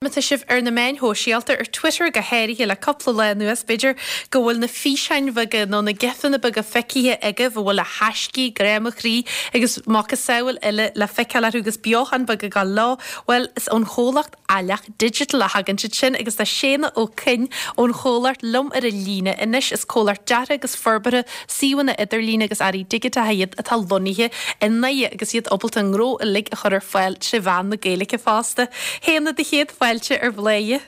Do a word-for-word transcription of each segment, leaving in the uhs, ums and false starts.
Má tá sibh ar na meáin shóisialta, ar Twitter go háirithe le cúpla lá anuas, b'fhéidir go bhfuil na físeáin bheaga nó na gifeanna beaga feicthe agaibh a bhfuil a thaiscí, grá mo chroí agus macasamhail eile le feiceáil orthu agus beochan beag ag dul leo. Bhuel, is ón chomhlacht Aileach Digital a thagann siad sin agus tá Séanna Ó Coinn ón chomhlacht liom ar an líne anois. Is comhlacht deartha agus forbartha suíomhanna idirlín agus earraí digiteacha iad atá lonnaithe i nDoire agus iad ábalta a ngnó uilig a chur ar fáil tré mheán na Gaeilge fosta. Shéanna, do chéad fáilte ar Bhladhaire.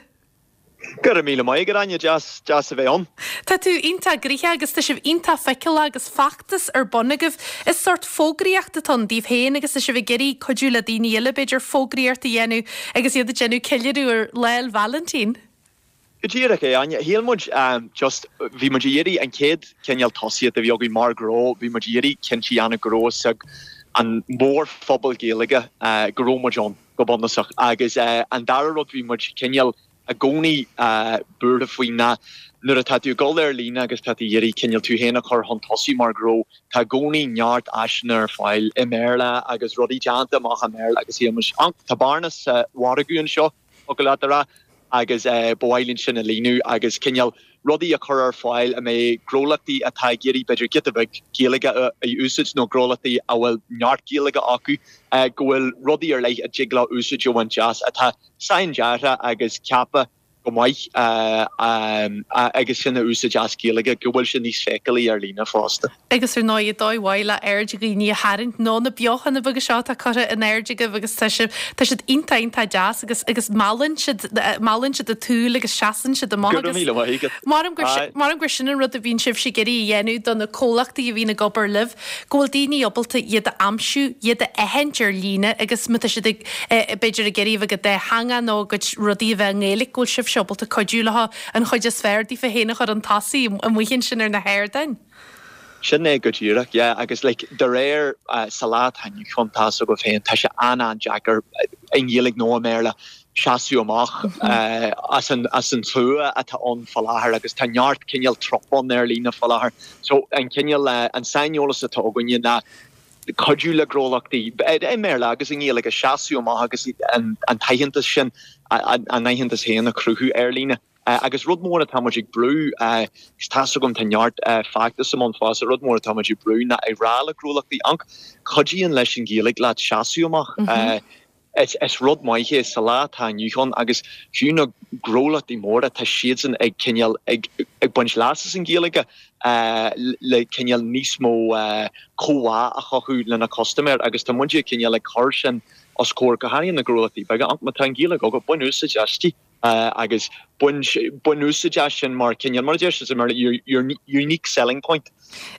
Go raibh míle maith agat, Áine, deas deas a bheith ann. Tá tú iontach gnoitheach agus tá sibh iontach feiceálach agus feachtas ar bun agaibh. Is sórt fógraíocht atá ann daoibh féin agus tá sibh ag iarraidh cuidiú le daoine eile b'fhéidir fógraíocht a dhéanamh agus iad ag déanamh ceiliúradh ar Lá 'le Vailintín. Go díreach é, Áine. Shíl muid just, bhí muid ag iarraidh an chéad chineál tosaíocht a bhí againn mar ghnó, bhí muid ag iarraidh cinnte a dhéanamh go raibh a fhios ag an mórphobal Gaeilge go raibh muid ann, go bunúsach. Agus an dara rud, bhí muid cineál i gcónaí buartha faoi ná nuair atá tú ag dul ar líne agus tá tú ag iarraidh cineál tú féin a chur chun tosaigh mar ghnó, tá i gcónaí neart áiseanna ar fáil i mBéarla agus rudaí déanta amach i mBéarla agus shíl muid, tá bearna sa mhargadh anseo, thiocfadh leat a rá, agus ba mhaith linn sin a líonadh agus cineál rudaí a chur ar fáil a mbeidh gnólachtaí atá ag iarraidh b'fhéidir giota beag Gaeilge a úsáid nó gnólachtaí a bhfuil neart Gaeilge acu go bhfuil rudaí ar leith a dtig leo úsáid a bhaint as atá saindeartha agus ceaptha go maith agus sin a úsáid as Gaeilge, go bhfuil sé níos feiceálaí ar líne fosta. Agus ar ndóigh, dóigh mhaith le aird dhaoine a tharraingt nó na beochana beaga seo atá curtha in airde agaibh agus tá siad tá siad iontach iontach deas agus agus meallann siad meallann siad an tsúil agus seasann siad amach agus Go raibh míle maith agat. Maram gur maram gur sin an rud a bhíonn sibhse ag iarraidh a dhéanamh do na comhlachtaí a bhíonn ag obair libh, go bhfuil daoine ábalta iad a aimsiú, iad a aithint ar líne agus má tá siad ag b'fhéidir ag iarraidh a bheith go dátheangach nó a gcuid rudaí a bheith i nGaeilge, go bhfuil sibhse ábalta cuidiú leo an chuid is fearr daofa féin a chur chun tosaigh amuigh ansin ar na hardáin. Sin é go díreach, yeah, agus like de réir sa lá atá inniu ann, tá a fhios agaibh féin, tá sé an-an-deacair i nGaeilge nó i mBéarla seasamh amach as an as an tslua atá ann fá láthair agus tá neart cineál trup ann ar líne fá láthair. So an cineál an saineolas atá againne ná cuidiú le gnólachtaí, i mBéarla agus i nGaeilge, seasamh amach agus an t-aitheantas sin, a n-aitheantas féin a chruthú ar líne. Agus rud mór atá muid ag brú, agus tá 'fhios agam tá neart feachtas i mbun fosta, rud mór atá muid ag brú ná ag rá le gnólachtaí, amharc, cuidíonn leis an Ghaeilge leat seasamh amach. Is rud maith é sa lá atá inniu ann agus fiú na gnólachtaí móra, tá siadsan ag cineál ag baint leas as an Ghaeilge le cineál níos mó comhbhá a chothú lena custaiméir agus tá muide cineál ag cur sin os comhair go háirithe na gnólachtaí beaga. Má tá an Ghaeilge agat, bain úsáid aisti agus bain úsáid as sin mar cineál, mar a deir siad sa mBéarla, your your unique selling point.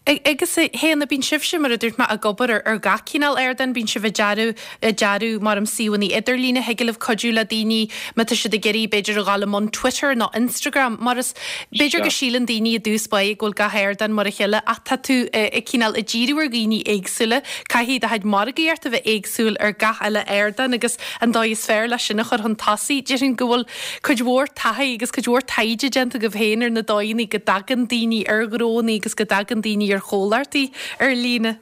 Agus a Shéanna, bíonn sibhse, mar a dúirt mé, ag obair ar gach cineál ardán, bíonn sibh ag dearadh, ag dearadh mar um suíomhanna idirlíne, thig libh cuidiú le daoine má tá siad ag iarraidh b'fhéidir a dhul i mbun Twitter nó Instagram, mar is, b'fhéidir go síleann daoine i dtús báire go bhfuil gach ardán mar a chéile ach tá tú ag cineál ag díriú ar dhaoine éagsúla, caithfidh do chuid margaíocht a bheith éagsúil ar gach uile ardán agus an dóigh is fearr leis sin a chur chun tosaigh, déarfainn go bhfuil cuid mhór taithí agus cuid mhór taighde déanta agaibh féin ar na dóigheanna go dtagann daoine ar ghnónna agus go dtagann daoine ar chomhlachtaí ar líne.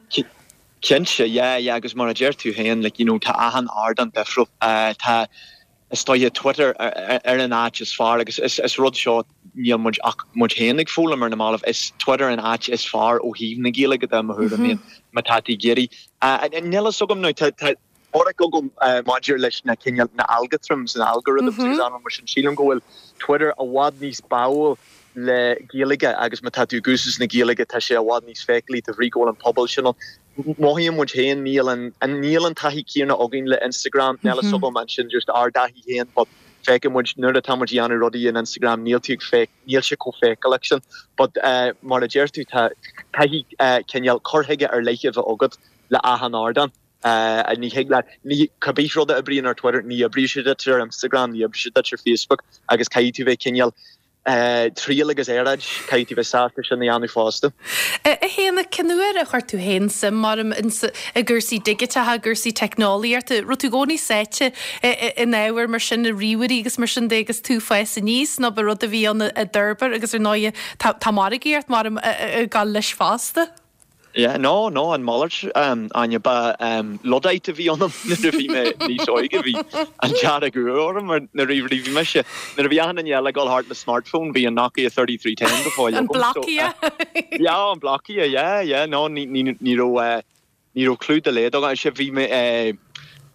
Cinnte, yeah, yeah, agus mar a deir tú féin, like, you know, tá achan ardán difriúil. Tá, is dóiche, Twitter ar an áit is fearr agus is, is rud seo, níl muid ach muid féin ag foghlaim ar na mallaibh, is Twitter an áit is fearr ó thaobh na Gaeilge de, mo thuairim féin, má tá tú ag iarraidh. Níl a fhios agam now, tá, tá, teoiric agam maidir leis na cineál, na algoritms, na algorithms agus anam mar sin. Sílim go bhfuil Twitter i bhfad níos báúil le Gaeilge agus má tá tú ag úsáid na Gaeilge tá sé i bhfad níos feiceálaí de bhrí go bhfuil an pobal sin ann. Mothaíonn muid féin, níl an, níl an taithí céanna againn le Instagram, níl a fhios agam ansin just ár dtaithí féin but feiceann muid nuair atá muid ag déanamh rudaí in Instagram níl tú ag feic, níl sé chomh feiceálach sin but mar a deir tú tá, caithfidh cineál cur chuige ar leith a bheith agat le achan ardán. Ní thig leat, ní, cibé rud a oibríonn ar Twitter, ní oibríonn sé duit ar Instagram, ní oibríonn sé duit ar Facebook agus caithfidh tú bheith cineál triail agus earráid, caithfidh tú bheith sásta sin a dhéanamh fosta. A Shéanna, cén uair a chuir tú féin suim mar i gcúrsaí digiteacha, i gcúrsaí teicneolaíochta? Raibh tú i gcónaí sáite in ábhair mar sin, i ríomhairí agus mar sin de agus tú ag fás aníos nó ba rud a bhí ann a d'fhorbair agus ar ndóigh tá margaíocht mar ag gabháil leis fosta? Yeah, no, no, an mhalairt um, Áine ba um, Luddite a bhí ionam nuair a bhí mé níos óige bhí an dearg orm mar na ríomhairí bhí mise nuair a bhí achan duine eile ag dul thart le smartphone bhí an Nokia thirty three ten go fóill An agam, so, Blokia. Yeah, an Blokia, yeah, yeah, no, ní, ní, ní raibh uh, ní raibh clue dá laghad agam. Sé bhí mé uh,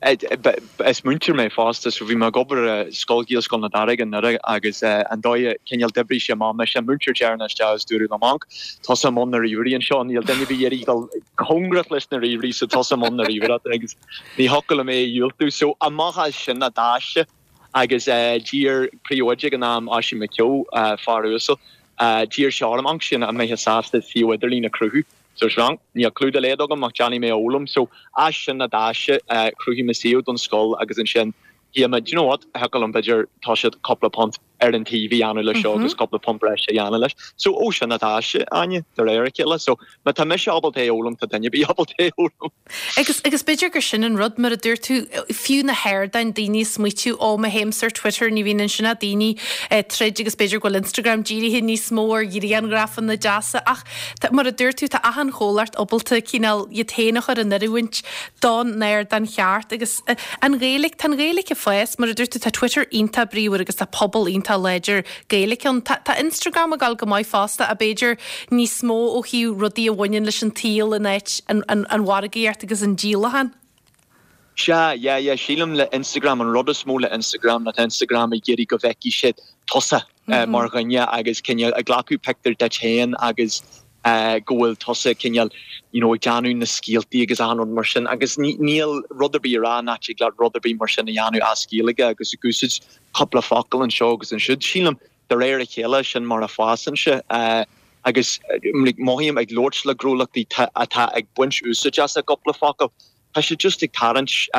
Is múinteoir mé fosta so bhí mé ag obair i Scoil Ghaelscoil na Darige i nDoire agus an dóigh a cineál d'oibrigh sé amach mise an múinteoir deireanach isteach agus dúradh liom unc tusa i mbun na ríomhairí anseo níl duine ar bith ag iarraidh dul cóngarach leis na ríomhairí so tusa i mbun na ríomhaireachta agus ní thiocfadh liom é a dhiúltú so amach as sin a d'fhás sé agus d'iarr príomhoide ag an am Oisín McKeown fear uasal d'iarr sé orm unc sin an mbeifeá sásta suíomh idirlín a chruthú So srang, níl clue dá laghad agam ach déanfaidh mé a fhoghlaim. So as sin a d'fhás sé, chruthaigh mé suíomh don scoil agus ansin shíl mé, do you know what, thiocfadh liom b'fhéidir toiseacht cúpla punt ar an taobh a dhéanamh leis seo agus cúpla punt breise a dhéanamh leis. So ó sin a d'fhás sé, Áine, de réir a chéile. So má tá mise ábalta é a fhoghlaim, tá duine ar bith ábalta é a fhoghlaim. Agus, agus b'fhéidir gur sin an rud, mar a dúirt tú, fiú na hardáin, daoine ag smaoitiú, ó má théimse ar Twitter ní bhíonn ansin ach daoine ag troid agus b'fhéidir go bhfuil Instagram dírithe níos mó ar ghrianghrafanna deasa ach tá, mar a dúirt tú, tá achan chomhlacht ábalta cineál iad féin a chur in oiriúint don ardán cheart agus an Ghaeilge, tá an Ghaeilge ag fás, mar a dúirt tú, tá Twitter iontach bríomhar agus tá pobal iontach láidir Gaeilge ann. Tá, tá Instagram ag dul go maith fosta ach b'fhéidir níos mó ó thaobh rudaí a bhaineann leis an tsaol in áit an, an, an mhargaíocht agus an díolachán. Sea, yeah, yeah, sílim le Instagram, an rud is mó le Instagram ná tá Instagram ag iarraidh go bhfeicfidh siad tusa mar dhuine agus cineál ag glacadh pictiúr duit féin agus go bhfuil tusa cineál you know ag déanamh na scéaltaí agus achan rud mar sin agus níl rud ar bith a rá nach dtig leat rud ar bith mar sin a dhéanamh as Gaeilge agus ag úsáid cúpla focal anseo agus ansiúd. Sílim de réir a chéile sin mar a fásann sé agus mothaím ag labhairt le gnólachtaí atá ag baint úsáid as a gcúpla focal. Tá sé just ag tarraingt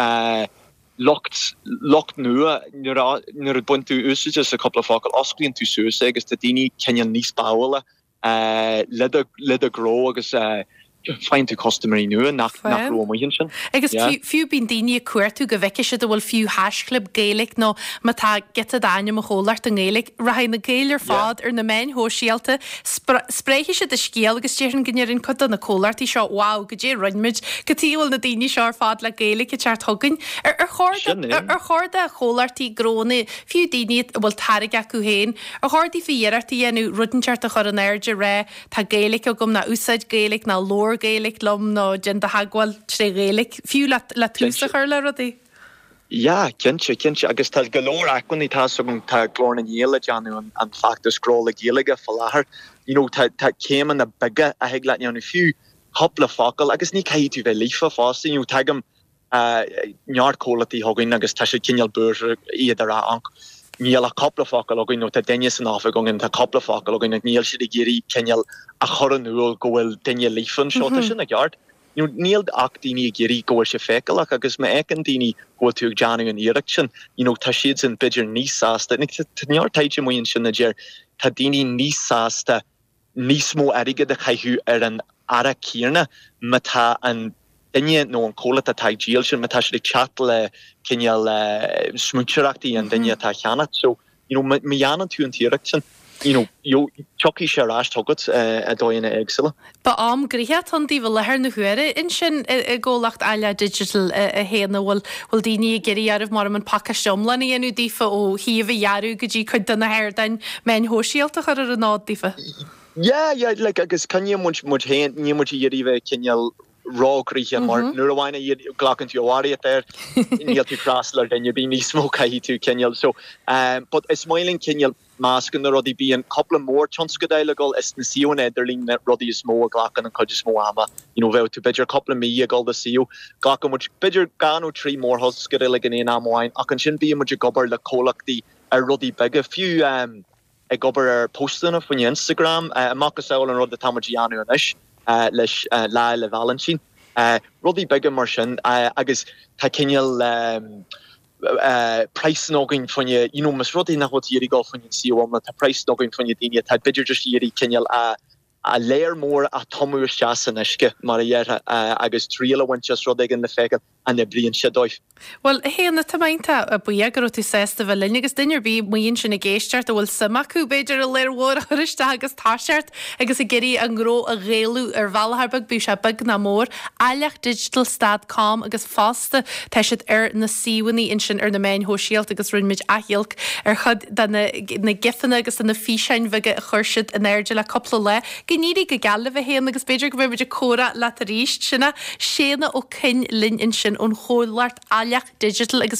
lucht lucht nua nuair a nuair a bhain tú úsáid as a cúpla focal osclaíonn tú suas é agus tá daoine cineál níos báúla le do le do ghnó agus faigheann tú custaiméirí nua nach nach raibh amuigh ansin. Agus fiú bíonn daoine ag cuartú go bhfeicfidh siad a bhfuil fiú haischlib Gaeilge nó má tá giota d'ainm an chomhlachta i nGaeilge, rachaidh na Gaeil ar fad ar na meáin shóisialta, spréifidh siad an scéal agus déarfainn go ndéarfaidh cuid de na comhlachtaí seo wow, goidé a rinne muid, cad chuige a bhfuil na daoine seo ar fad le Gaeilge ag teacht chugainn. Ar chóir ar chóir do chomhlachtaí gnónna, fiú daoine a bhfuil táirge acu féin, ar chóir daofa iarracht a dhéanamh rud inteacht a chur in airde rá tá Gaeilge agam ná úsáid Gaeilge ná labhair Gaeilge liom nó déan do theagmháil tré Ghaeilge, fiú le le tús a chur le rudaí? Yeah, cinnte, cinnte. Agus tá go leor acmhainní, tá 's agam, tá Glór na nGael ag déanamh an, an feachtas Gnó le Gaeilge fá láthair. You know, tá, tá céimeanna beaga a thig leat dhéanamh, fiú cúpla focal, agus ní caithfidh tú bheith líofa fosta, you know, tagaim neart comhlachtaí chugainn agus tá siad cineál buartha iad a rá unc níl ach cúpla focal againn nó tá duine san oifig againn tá cúpla focal againn ach níl siad ag iarraidh cineál a chur in iúl go bhfuil duine líofa anseo. Tá sin i gceart. You know, níl ach daoine ag iarraidh go bhfuil sé feiceálach agus má fheiceann daoine go bhfuil tú ag déanamh an iarracht sin, you know, tá siadsan b'fhéidir níos sásta. Tá neart taighde amuigh ansin a deir tá daoine níos sásta níos mó airgid a chaitheamh ar an earra céanna má tá an duine nó an comhlacht atá ag díol sin, má tá siad ag teacht le cineál smaointeoireachtaí an duine atá á cheannach. So, you know, má dhéanann tú an t-iarracht sin, you know, tiocfaidh sé ar ais chugat i dóigheanna éagsúla. Ba am gnoitheach atá ann daoibh i láthair na huaire ansin i gcomhlacht Aille Digital a Shéanna, bhfuil bhfuil daoine ag iarraidh oraibh mar an pacáiste iomlán a dhéanamh daofa ó shuíomh a dhearadh go dtí cuid de na hardáin meáin shóisialta a chur ar an fhód daofa? Yeah, yeah, like agus coinníonn muid muid féin, níl muid ag iarraidh bheith cineál róghnoitheach mar nuair a bhain a glacann tú barraíocht air níl tú ag freastal ar duine ar bith níos mó caithfidh tú cineál so um, but is maith linn cineál meascán na rudaí bíonn cúpla mór tionscadail ag dul is na suíomhanna idirlín na rudaí is mó a ghlacann an chuid is mó ama you know bheadh tú b'fhéidir cúpla mí ag dul do suíomh glacann muid b'fhéidir dhá nó trí mórthionscadail ag an aon am amháin ach ansin bíonn muid ag obair le comhlachtaí ar rudaí beaga fiú um, ag obair ar postanna faoin Instagram, i macasamhail an rud atá muid a dhéanamh anois leis Lá Fhéile Vailintín. Rudaí beaga mar sin agus tá cineál praghsanna againn faoine, you know, más rud é nach bhfuil tú ag iarraidh dul faoin suíomh iomlán, tá praghsanna againn faoine daoine atá b'fhéidir just ag iarraidh cineál a a léar mór a tumadh isteach san uisce mar a dhéarfá agus triail a bhaint as rud éigin le feiceáil an oibríonn sé dóibh. Bhuel, a Shéanna, tá mé iontach buíoch go raibh tú sásta bheith linn agus duine ar bith amuigh ansin ag éisteacht a bhfuil suim acu, b'fhéidir, i léar mhór a chur isteach agus toiseacht agus ag iarraidh a ngnó a ghaelú ar bhealach ar bith, bíodh sé beag ná mór, Aileach Digital stad com agus fosta tá siad ar na suíomhanna ansin ar na meáin shóisialta agus rinne muid athghiolc ar chuid de na na gifanna agus de na físeáin bheaga a chuir siad in airde le cúpla lá. Go n-éirí go geal libh a Shéanna agus b'fhéidir go mbeidh muid ag comhrá leat arís. Sin é Séanna Ó Coinn linn ansin ón chomhlacht Aileach Digital agus